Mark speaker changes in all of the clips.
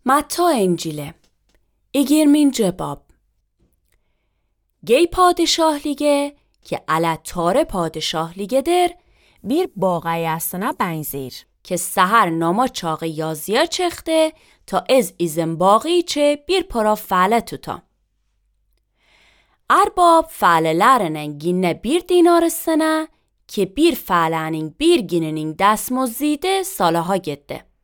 Speaker 1: Matta İncil'i 20. bab. Gey padişahlige ki alatare padişahligedir bir bağayasına benzir که سحر ناما چاقی یازیا چخته تا از ایزن باقی چه bir para فعله tuta. Arbab fa'lelerinin ginne bir dinar sene ki bir fa'lenin bir ginenin destmozide salaha gitti.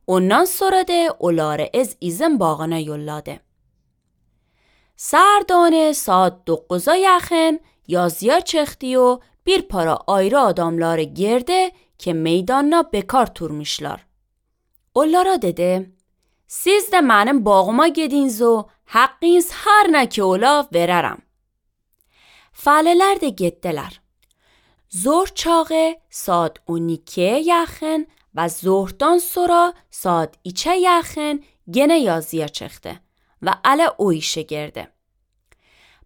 Speaker 1: Ondan sonra de oları ez izin bağına yolladı. Serdane saat 9'a yakın yazıya çıktı bir para ayrı adamları girdi ki meydanına bekar turmuşlar. Onlara dedi, siz de benim bağıma gidiniz و hakkınız her ne ki ola veririm. Faleler de gittiler. Zor çağı saat 12'ye yakın و ظهرdan sonra saat 2'ye yakın gene yazıya çıktı ve ala o işe girdi.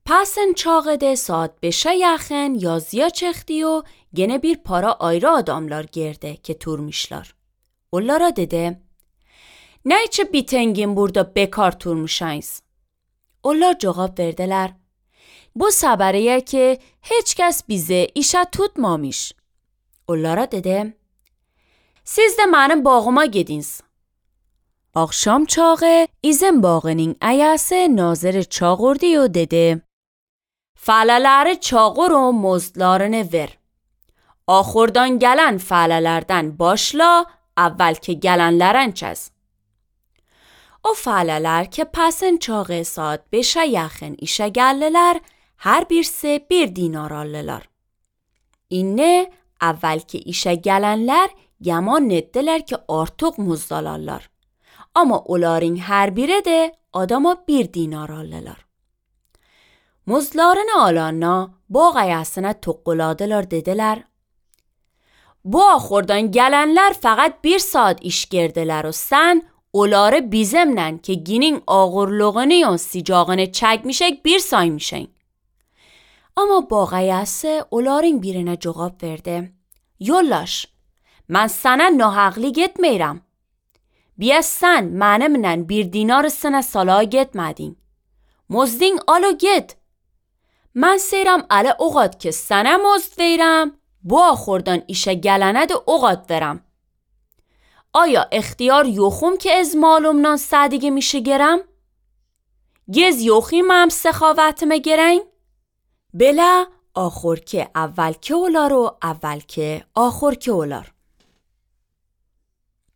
Speaker 1: Pasın çağı de saat 5'e yakın yazıya çıktı و gene bir para ayrı adamlar girdi ki turmuşlar. Onlara dedi, ne için bitengin burada bekar turmuşayız? Onlar cevap verdiler, bu sabariye ki hiç kes bize işe tutmamış. Onlara dedi, siz de benim bağıma gidiniz. Akşam çağı izin bağının ayası nazır çağırdı و dedi, faleleri çağır و مزدlarını ver. Ahırdan gelen falelerden başla, اول که gelenlerin çiz. O faleler ki pasın çağı saat 5'e yakın işe geldiler, her birisi bir dinar aldılar. İnne اول ki işe gelenler yaman ettiler ki artık muzdalarlar. Ama onların her biri de adama bir dinar aldılar. Muzlarını alanına bağayasına tokkuladılar dediler, bu ahırdan gelenler fakat bir saat iş girdiler و sen onları bizimle ki ginin ağırlığını ya sicağını çekmişek bir saymışın. Ama bağayası onların birine cevap verdi, yollaş, من sana nahaqli gitmeyram. بیا sen منمle bir dinar sana salaha gitmedin. Muzdin alو git. من سیرم اله اوقات که سنه مزد ویرم bu آخوردان işe gelene de اوقات verem. آیا اختیار یوخوم که از مالومنان صدیگه میشه گرم؟ گز یوخیم هم سخاوتمه گرین؟ بله آخور که اول که اولارو اول که آخور که اولار.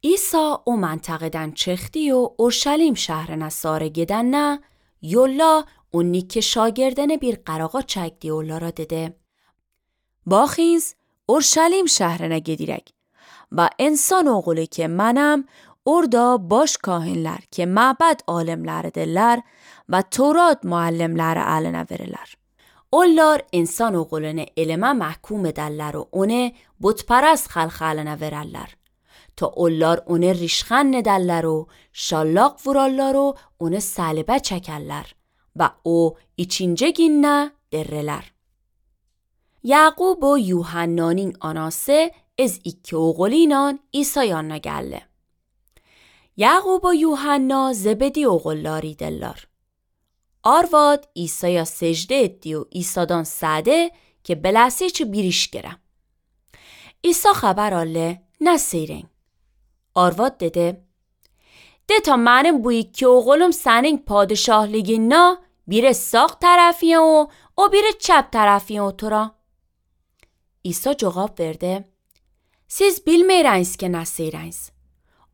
Speaker 1: ایسا او منطقدن چختی و اورشلیم شهر نصاره گدن نه یولا اونی که شاگردن bir qarağa çəkdi onlara dedi. Baxınız, Urşalim şəhrinə gedirək və insan oğlu ki mənəm, orada baş kahinlər ki məbəd alimləridirlər və Torat müəllimləri əlinə verirlər. Onlar insan oğlunu elmə məhkum edərlər və onu butpərəst xalq əlinə verərlər. تا onlar onu rişxan edərlər و şallaq vurarlar و onu səlibə çəkərlər. و او ikinci günne derreler. Yaqub و Yuhanna'nın anası ez iki oğulinan İsa yanına geldi. Yaqub و Yuhanna Zebedi oğullarıydılar. Arvad İsa'ya secde etti و İsa'dan sade ki belası çi bir iş gere. İsa haber aldı ne seyren. Arvad dedi, de ta benim bu iki oğlum senin padişahliğine biri sağ tarafıya o biri çap tarafıya otura. İsa cevap verdi, siz bilmeyiniz ki nesiriniz.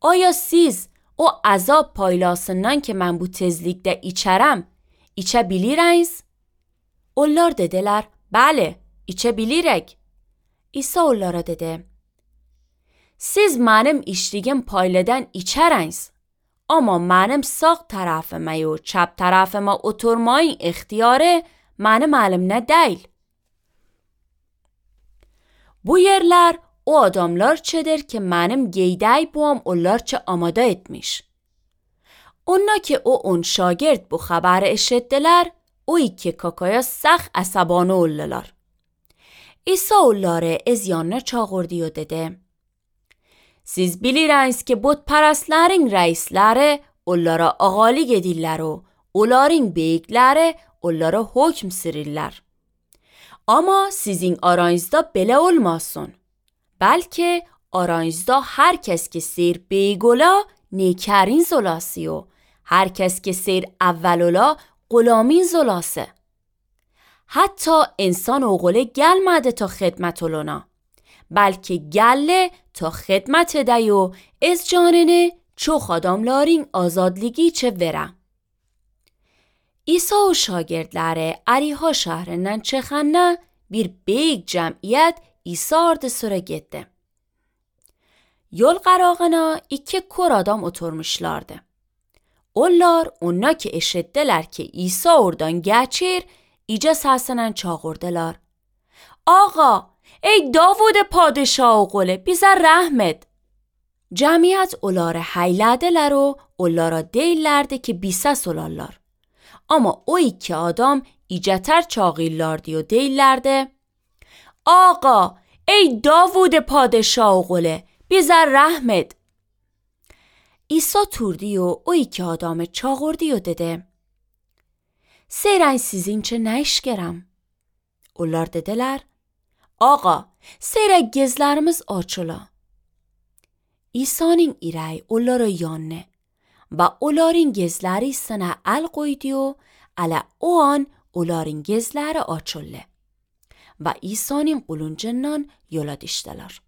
Speaker 1: Aya siz o azab paylasından ki ben bu tezlikte içerem, içebiliriz? Onlar dediler, bله, içebilirek. İsa onlara dedi, siz benim içtiğim payladan içeriniz. Ama benim sağ tarafıma و çap tarafıma oturmayın ihtiyarı benim elimde değil. Bu yerler o adamlar çedir ki benim geyday buam onlar çe amada etmiş. Ona ki o şagird bu xabari eşittiler o iki kakaya سخت عصبانه oldular. İsa onları از yanına çağırdı و dedi, Siz bilirsiniz ki butperestlerin reisleri onlara ağalık edirler o onların beyikleri onlara hükm sürirler. Ama sizin aranızda belə olmasın. Belki aranızda her kes ki seyir beyik ola نیکرین زلاسی و هر کس که سیر اولولا غلامین زلاسه. حتی انسان اوغله گل مده تا خدمت لنا بلکه گله تا خدمت دیو از جاننه چو خاداملارین آزادلیگی چه وره. ایسا و شاگردلاره اریها şehrinin çıkanına bir büyük cemiyet İsa ordusuna gitti. Yol qarağına iki kor adam oturmuşlardı. Onlar ki eşittiler ki İsa oradan geçir, iyice seslen çağırdılar. Ağa, ey Davud padişah oğlu, bize rahmet. Cemiyet onları hayladılar و onlara deyirlerdi ki bises olarlar. Ama o iki adam iyiceter çağırlardı و deyirlerdi. Ağa, ey Davud padişah oğlu, bize rahmet. İsa turdi و o iki adamı çağırdı و dedi. Seyren sizin çe ne iş gerem? Onlar dediler. Ağa, seyre gezlerimiz açıla. İsa'nın irəyi onlara yanne ve onların gezleri sana el koydu و ala o an onların gezleri açıldı. Ve İsa'nın quluncundan yola düştüler.